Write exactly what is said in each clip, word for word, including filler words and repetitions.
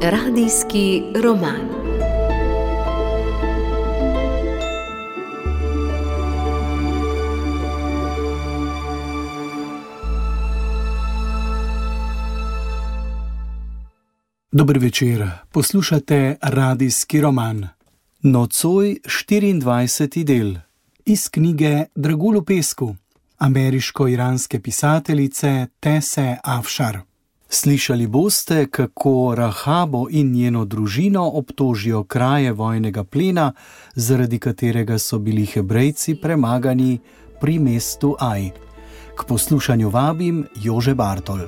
Radijski roman. Dober večer, poslušate Radijski roman. Nocoj štiriindvajseti del iz knjige Dragulj v pesku ameriško-iranske pisateljice Tese Afšar. Slišali boste, kako Rahabo in njeno družino obtožijo kraje vojnega plena, zaradi katerega so bili Hebrejci premagani pri mestu Aj. K poslušanju vabim Jože Bartol.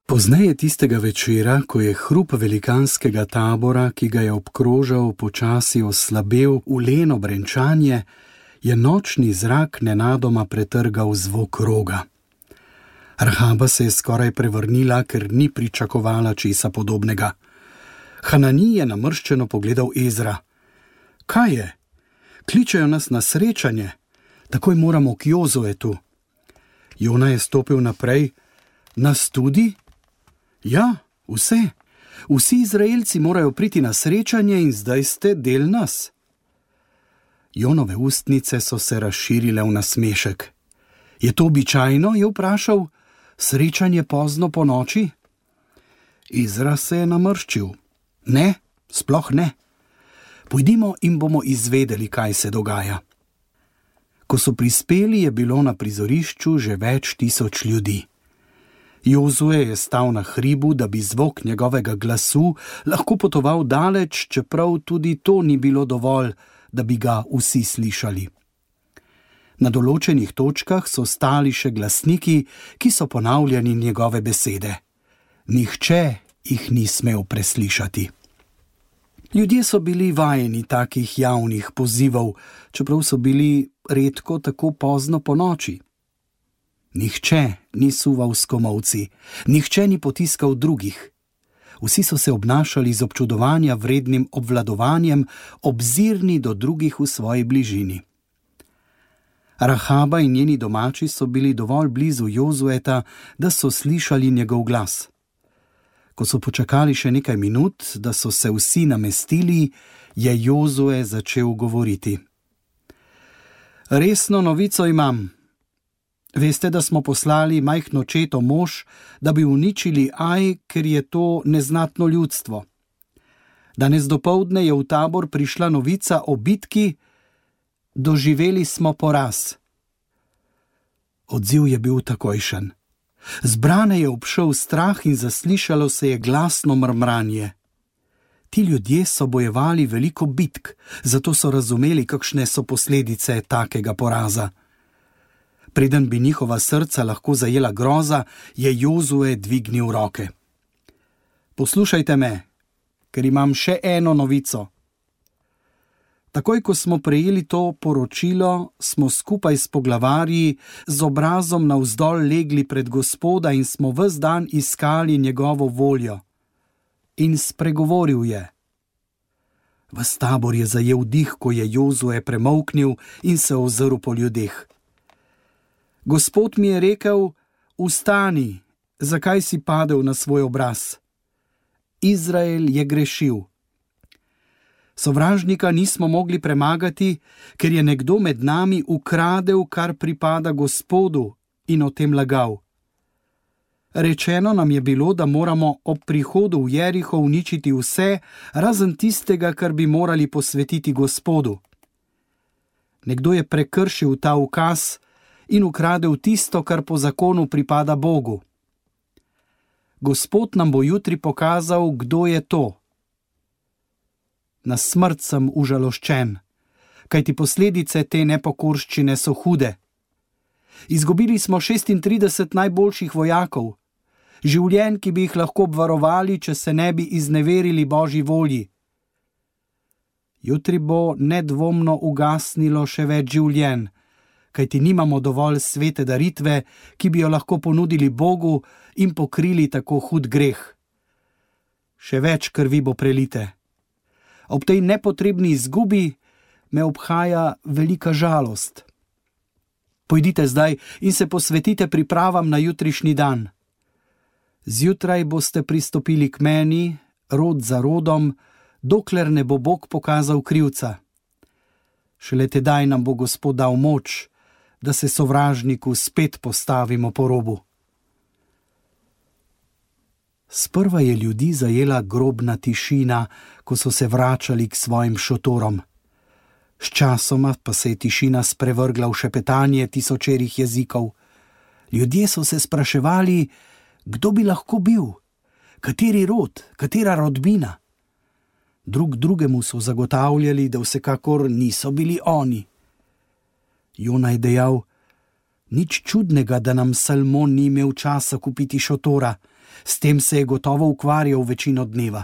Pozneje tistega večera, ko je hrup velikanskega tabora, ki ga je obkrožal, počasi oslabel v leno brenčanje, je nočni zrak nenadoma pretrgal zvok roga. Rahaba se je skoraj prevrnila, ker ni pričakovala česa podobnega. Hanani je namrščeno pogledal Ezra. Kaj je? Kličejo nas na srečanje. Takoj moramo k Jozuetu. Jona je stopil naprej. Nas tudi? Ja, vse. Vsi Izraelci morajo priti na srečanje in zdaj ste del nas. Jonove ustnice so se razširile v nasmešek. Je to običajno, je vprašal, srečanje pozno po noči? Izra se je namrščil. Ne, sploh ne. Pojdimo in bomo izvedeli, kaj se dogaja. Ko so prispeli, je bilo na prizorišču že več tisoč ljudi. Jozue je stal na hribu, da bi zvok njegovega glasu lahko potoval daleč, čeprav tudi to ni bilo dovolj, da bi ga vsi slišali. Na določenih točkah so stali še glasniki, ki so ponavljali njegove besede. Nihče jih ni smel preslišati. Ljudje so bili vajeni takih javnih pozivov, čeprav so bili redko tako pozno po noči. Nihče ni suval s komolci, nihče ni potiskal drugih. Vsi so se obnašali z občudovanja vrednim obvladovanjem, obzirni do drugih v svoji bližini. Rahaba in njeni domači so bili dovolj blizu Jozueta, da so slišali njegov glas. Ko so počakali še nekaj minut, da so se vsi namestili, je Jozue začel govoriti. Resno novico imam. Veste, da smo poslali majhno četo mož, da bi uničili Aj, ker je to neznatno ljudstvo. Danes dopoldne je v tabor prišla novica o bitki, doživeli smo poraz. Odziv je bil takojšen. Zbrane je obšel strah in zaslišalo se je glasno mrmranje. Ti ljudje so bojevali veliko bitk, zato so razumeli, kakšne so posledice takega poraza. Preden bi njihova srca lahko zajela groza, je Jozue dvignil roke. Poslušajte me, ker imam še eno novico. Takoj, ko smo prejeli to poročilo, smo skupaj s poglavarji z obrazom navzdol legli pred Gospoda in smo ves dan iskali njegovo voljo. In spregovoril je. Ves tabor je zajel dih, ko je Jozue premolknil in se ozrl po ljudeh. Gospod mi je rekel, vstani, zakaj si padel na svoj obraz? Izrael je grešil. Sovražnika nismo mogli premagati, ker je nekdo med nami ukradel, kar pripada Gospodu, in o tem lagal. Rečeno nam je bilo, da moramo ob prihodu v Jeriho uničiti vse, razen tistega, kar bi morali posvetiti Gospodu. Nekdo je prekršil ta ukaz in ukradel tisto, kar po zakonu pripada Bogu. Gospod nam bo jutri pokazal, kdo je to. Na smrt sem užaloščen, kajti posledice te nepokorščine so hude. Izgubili smo šestintrideset najboljših vojakov, življenj, ki bi jih lahko obvarovali, če se ne bi izneverili Božji volji. Jutri bo nedvomno ugasnilo še več življenj, kajti nimamo dovolj svete daritve, ki bi jo lahko ponudili Bogu in pokrili tako hud greh. Še več krvi bo prelite. Ob tej nepotrebni izgubi me obhaja velika žalost. Pojdite zdaj in se posvetite pripravam na jutrišnji dan. Zjutraj boste pristopili k meni, rod za rodom, dokler ne bo Bog pokazal krivca. Šele tedaj nam bo Gospod dal moč, da se sovražniku spet postavimo po robu. Sprva je ljudi zajela grobna tišina, ko so se vračali k svojim šotorom. Sčasoma pa se je tišina sprevrgla v šepetanje tisočerih jezikov. Ljudje so se spraševali, kdo bi lahko bil, kateri rod, katera rodbina. Drug drugemu so zagotavljali, da vsekakor niso bili oni. Jona je dejal, nič čudnega, da nam Salmon ni imel časa kupiti šotora, s tem se je gotovo ukvarjal večino dneva.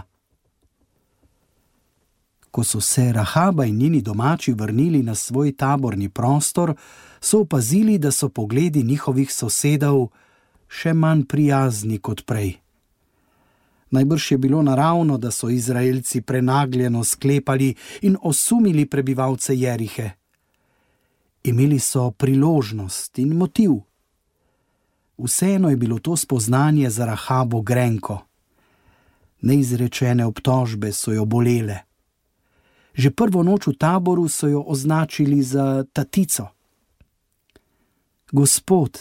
Ko so se Rahaba in njeni domači vrnili na svoj taborni prostor, so opazili, da so pogledi njihovih sosedov še manj prijazni kot prej. Najbrž je bilo naravno, da so Izraelci prenagljeno sklepali in osumili prebivalce Jerihe. Imeli so priložnost in motiv. Vseeno je bilo to spoznanje za Rahabo grenko. Neizrečene obtožbe so jo bolele. Že prvo noč v taboru so jo označili za tatico. Gospod,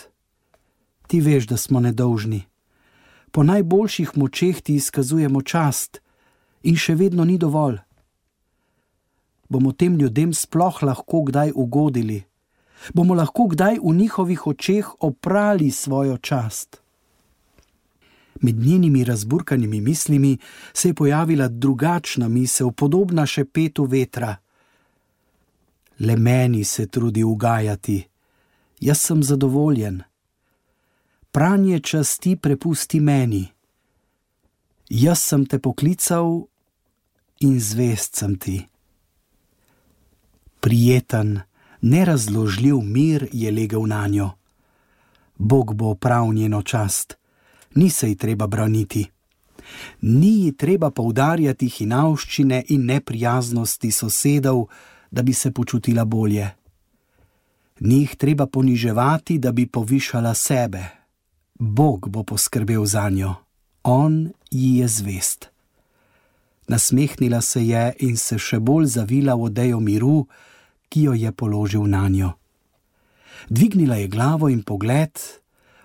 ti veš, da smo nedolžni. Po najboljših močeh ti izkazujemo čast in še vedno ni dovolj. Bomo tem ljudem sploh lahko kdaj ugodili? Bomo lahko kdaj v njihovih očeh oprali svojo čast? Med njenimi razburkanimi mislimi se je pojavila drugačna misel, podobna šepetu vetra. Le meni se trudi ugajati, jaz sem zadovoljen. Pranje časti prepusti meni. Jaz sem te poklical in zvest sem ti. Prijeten, nerazložljiv mir je legel nanjo. Bog bo opravil njeno čast. Ni se ji treba braniti. Ni ji treba poudarjati hinavščine in neprijaznosti sosedov, da bi se počutila bolje. Ni jih treba poniževati, da bi povišala sebe. Bog bo poskrbel zanjo. On ji je zvest. Nasmehnila se je in se še bolj zavila v odejo miru, ki jo je položil nanjo. Dvignila je glavo in pogled,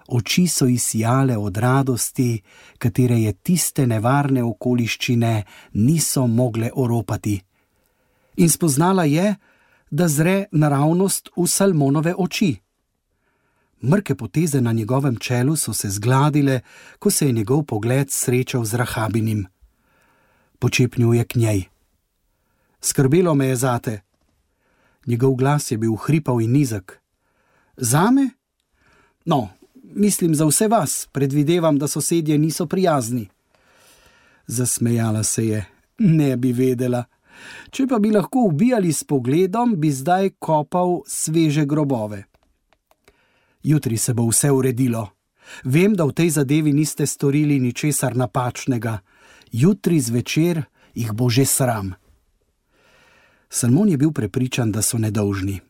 oči so ji sijale od radosti, katere je tiste nevarne okoliščine niso mogle oropati. In spoznala je, da zre naravnost v Salmonove oči. Mrke poteze na njegovem čelu so se zgladile, ko se je njegov pogled srečal z Rahabinim. Počepnil je k njej. Skrbelo me je zate. Njegov glas je bil hripav in nizek. Zame? No, mislim za vse vas, predvidevam, da sosedje niso prijazni. Zasmejala se je. Ne bi vedela. Če pa bi lahko ubijali s pogledom, bi zdaj kopal sveže grobove. Jutri se bo vse uredilo. Vem, da v tej zadevi niste storili ničesar napačnega. Jutri zvečer jih bo že sram. Salmon je bil prepričan, da so nedolžni.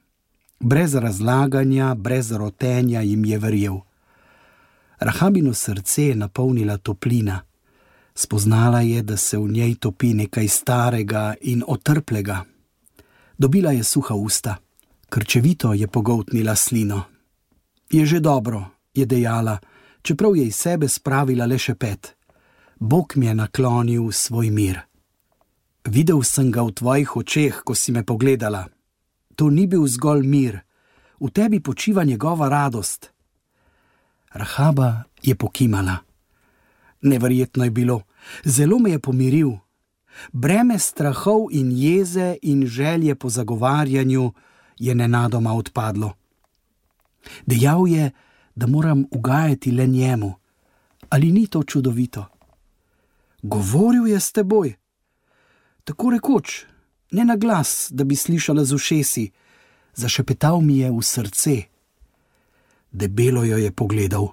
Brez razlaganja, brez rotenja jim je verjel. Rahabino srce je napolnila toplina. Spoznala je, da se v njej topi nekaj starega in otrplega. Dobila je suha usta. Krčevito je pogoltnila slino. Je že dobro, je dejala, čeprav je iz sebe spravila le šepet. Bog mi je naklonil svoj mir. Videl sem ga v tvojih očeh, ko si me pogledala. To ni bil zgolj mir, v tebi počiva njegova radost. Rahaba je pokimala. Neverjetno je bilo, zelo me je pomiril. Breme strahov in jeze in želje po zagovarjanju je nenadoma odpadlo. Dejal je, da moram ugajati le njemu. Ali ni to čudovito? Govoril je s teboj. Tako rekoč, ne na glas, da bi slišala z ušesi. Zašepetal mi je v srce. Debelo jo je pogledal.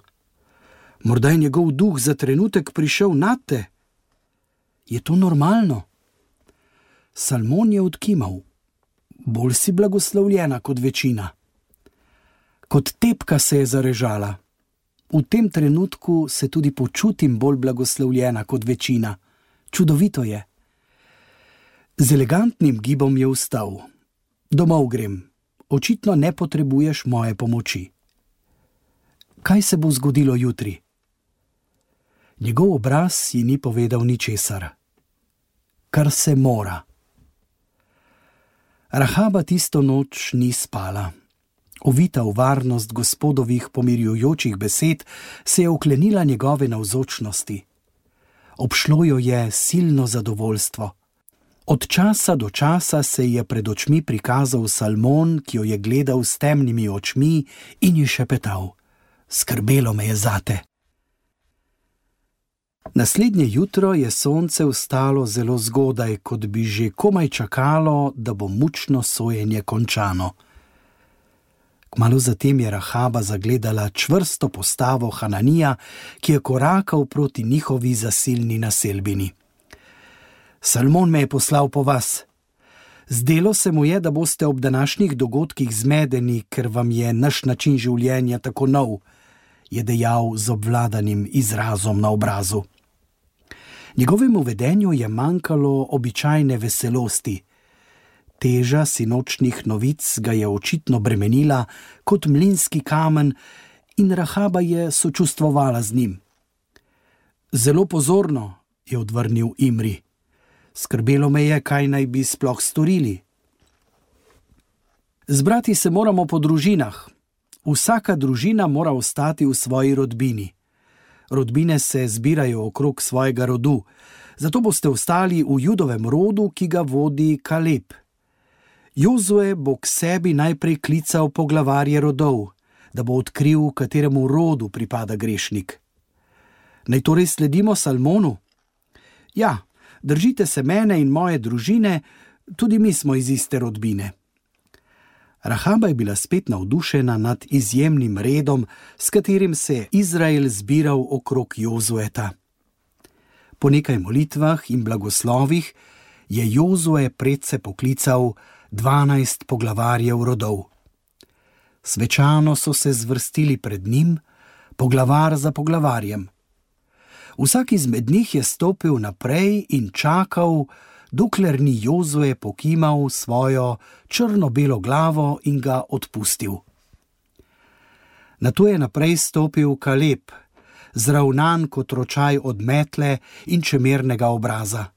Morda je njegov duh za trenutek prišel nad te. Je to normalno? Salmon je odkimal. Bolj si blagoslovljena kot večina. Kot tepka se je zarežala. V tem trenutku se tudi počutim bolj blagoslovljena kot večina. Čudovito je. Z elegantnim gibom je vstal. Domov grem. Očitno ne potrebuješ moje pomoči. Kaj se bo zgodilo jutri? Njegov obraz ji ni povedal ničesar. Kar se mora. Rahaba tisto noč ni spala. Ovita v varnost gospodovih pomirjujočih besed, se je oklenila njegove navzočnosti. Obšlo jo je silno zadovoljstvo. Od časa do časa se je pred očmi prikazal Salmon, ki jo je gledal s temnimi očmi in ji šepetal: skrbelo me je zate. Naslednje jutro je sonce vstalo zelo zgodaj, kot bi že komaj čakalo, da bo mučno sojenje končano. Kmalu zatem je Rahaba zagledala čvrsto postavo Hananija, ki je korakal proti njihovi zasilni naselbini. Salmon me je poslal po vas. Zdelo se mu je, da boste ob današnjih dogodkih zmedeni, ker vam je naš način življenja tako nov, je dejal z obvladanim izrazom na obrazu. Njegovemu vedenju je manjkalo običajne veselosti. Teža sinočnih novic ga je očitno bremenila kot mlinski kamen in Rahaba je sočustvovala z njim. Zelo pozorno, je odvrnil Imri. Skrbelo me je, kaj naj bi sploh storili. Zbrati se moramo po družinah. Vsaka družina mora ostati v svoji rodbini. Rodbine se zbirajo okrog svojega rodu, zato boste ostali v Judovem rodu, ki ga vodi Kaleb. Jozue bo k sebi najprej klical poglavarje rodov, da bo odkril, kateremu rodu pripada grešnik. Naj torej sledimo Salmonu? Ja, držite se mene in moje družine, tudi mi smo iz iste rodbine. Rahaba je bila spet navdušena nad izjemnim redom, s katerim se je Izrael zbiral okrog Jozueta. Po nekaj molitvah in blagoslovih je Jozue predse poklical dvanajst poglavarjev rodov. Svečano so se zvrstili pred njim, poglavar za poglavarjem. Vsak izmed njih je stopil naprej in čakal, dokler ni Jozue pokimal svojo črno-belo glavo in ga odpustil. Nato je naprej stopil Kaleb, zravnan kot ročaj od metle in čemernega obraza.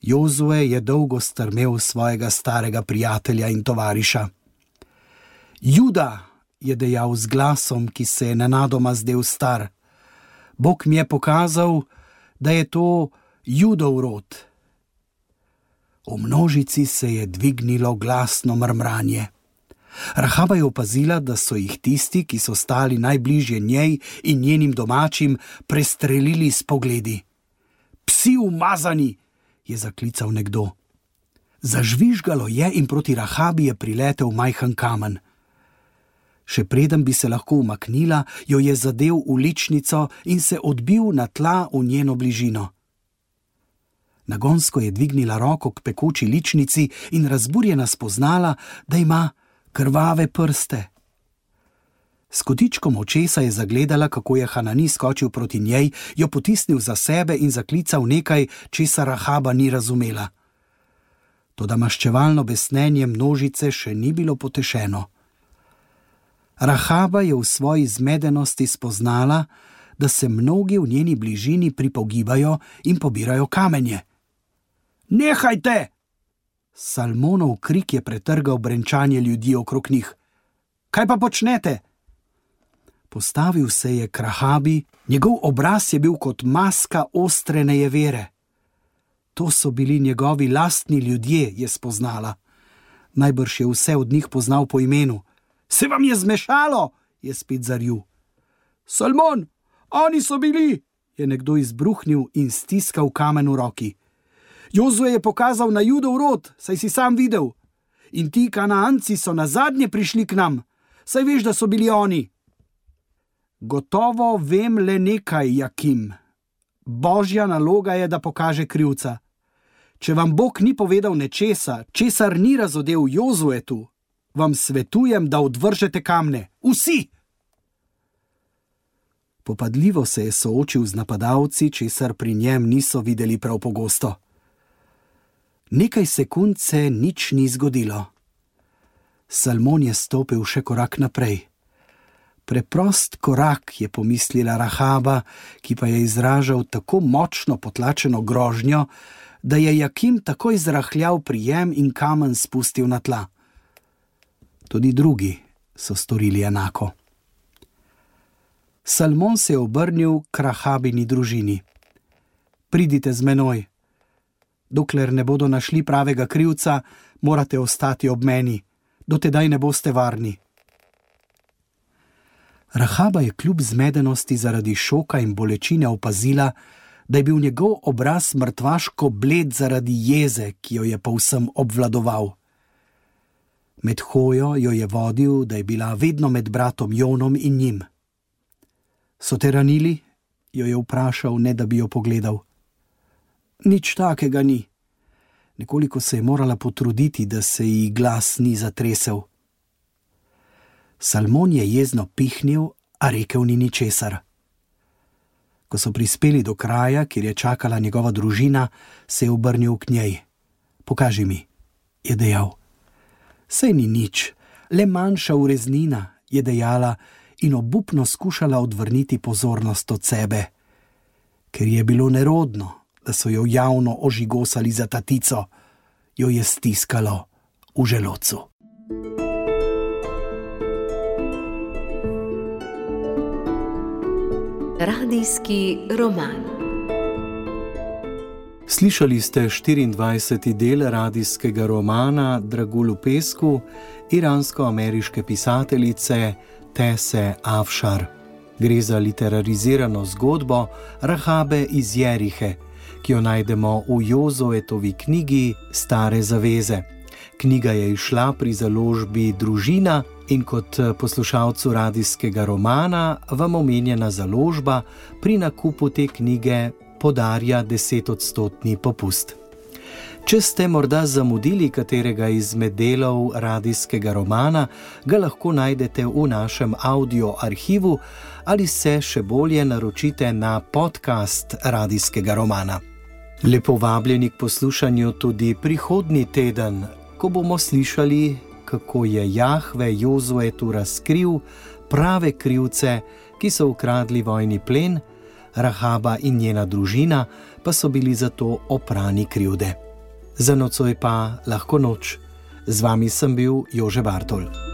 Jozue je dolgo strmel svojega starega prijatelja in tovariša. Juda, je dejal z glasom, ki se je nenadoma zdel star. Bog mi je pokazal, da je to Judov rod. V množici se je dvignilo glasno mrmranje. Rahaba je opazila, da so jih tisti, ki so stali najbližje njej in njenim domačim, prestrelili s pogledi. Psi umazani, je zaklical nekdo. Zažvižgalo je in proti Rahabi je priletel majhen kamen. Še preden bi se lahko umaknila, jo je zadel v ličnico in se odbil na tla v njeno bližino. Nagonsko je dvignila roko k pekoči ličnici in razburjena spoznala, da ima krvave prste. S kotičkom očesa je zagledala, kako je Hanani skočil proti njej, jo potisnil za sebe in zaklical nekaj, česar Rahaba ni razumela. Toda maščevalno besnenje množice še ni bilo potešeno. Rahaba je v svoji zmedenosti spoznala, da se mnogi v njeni bližini pripogibajo in pobirajo kamenje. Nehajte! Salmonov krik je pretrgal brenčanje ljudi okrog njih. Kaj pa počnete? Postavil se je k Rahabi, njegov obraz je bil kot maska ostre nejevere. To so bili njegovi lastni ljudje, je spoznala. Najbrž je vse od njih poznal po imenu. Se vam je zmešalo, je spet zarju. Salmon, oni so bili, je nekdo izbruhnil in stiskal kamen v roki. Jozue je pokazal na Judov rod, saj si sam videl. In ti Kanaanci so nazadnje prišli k nam, saj veš, da so bili oni. Gotovo vem le nekaj, Jakim. Božja naloga je, da pokaže krivca. Če vam Bog ni povedal nečesa, česar ni razodel Jozuetu, vam svetujem, da odvržete kamne. Vsi! Popadljivo se je soočil z napadalci, česar pri njem niso videli prav pogosto. Nekaj sekund se nič ni zgodilo. Salmon je stopil še korak naprej. Preprost korak, je pomislila Rahaba, ki pa je izražal tako močno potlačeno grožnjo, da je Jakim takoj zrahljal prijem in kamen spustil na tla. Tudi drugi so storili enako. Salmon se je obrnil k Rahabini družini. Pridite z menoj. Dokler ne bodo našli pravega krivca, morate ostati ob meni. Do tedaj ne boste varni. Rahaba je kljub zmedenosti zaradi šoka in bolečine opazila, da je bil njegov obraz mrtvaško bled zaradi jeze, ki jo je povsem obvladoval. Med hojo jo je vodil, da je bila vedno med bratom Jonom in njim. So te ranili? Jo je vprašal, ne da bi jo pogledal. Nič takega ni. Nekoliko se je morala potruditi, da se ji glas ni zatresel. Salmon je jezno pihnil, a rekel ni ničesar. Ko so prispeli do kraja, kjer je čakala njegova družina, se je obrnil k njej. Pokaži mi, je dejal. Saj ni nič, le manjša ureznina, je dejala in obupno skušala odvrniti pozornost od sebe. Ker je bilo nerodno, da so jo javno ožigosali za tatico, jo je stiskalo v želodcu. Radijski roman. Slišali ste štiriindvajseti del radijskega romana Dragul v pesku iransko-ameriške pisateljice Tese Afšar. Gre za literarizirano zgodbo Rahabe iz Jerihe, ki jo najdemo v Jozoetovi knjigi Stare zaveze. Knjiga je izšla pri založbi Družina in kot poslušalcu radijskega romana vam omenjena založba pri nakupu te knjige podarja desetodstotni popust. Če ste morda zamudili katerega izmed delov radijskega romana, ga lahko najdete v našem audio arhivu ali se še bolje naročite na podcast radijskega romana. Lepo vabljeni k poslušanju tudi prihodnji teden, ko bomo slišali, kako je Jahve Jozuetu razkril prave krivce, ki so ukradli vojni plen, Rahaba in njena družina pa so bili zato oprani krivde. Za nocoj pa lahko noč. Z vami sem bil Jože Bartol.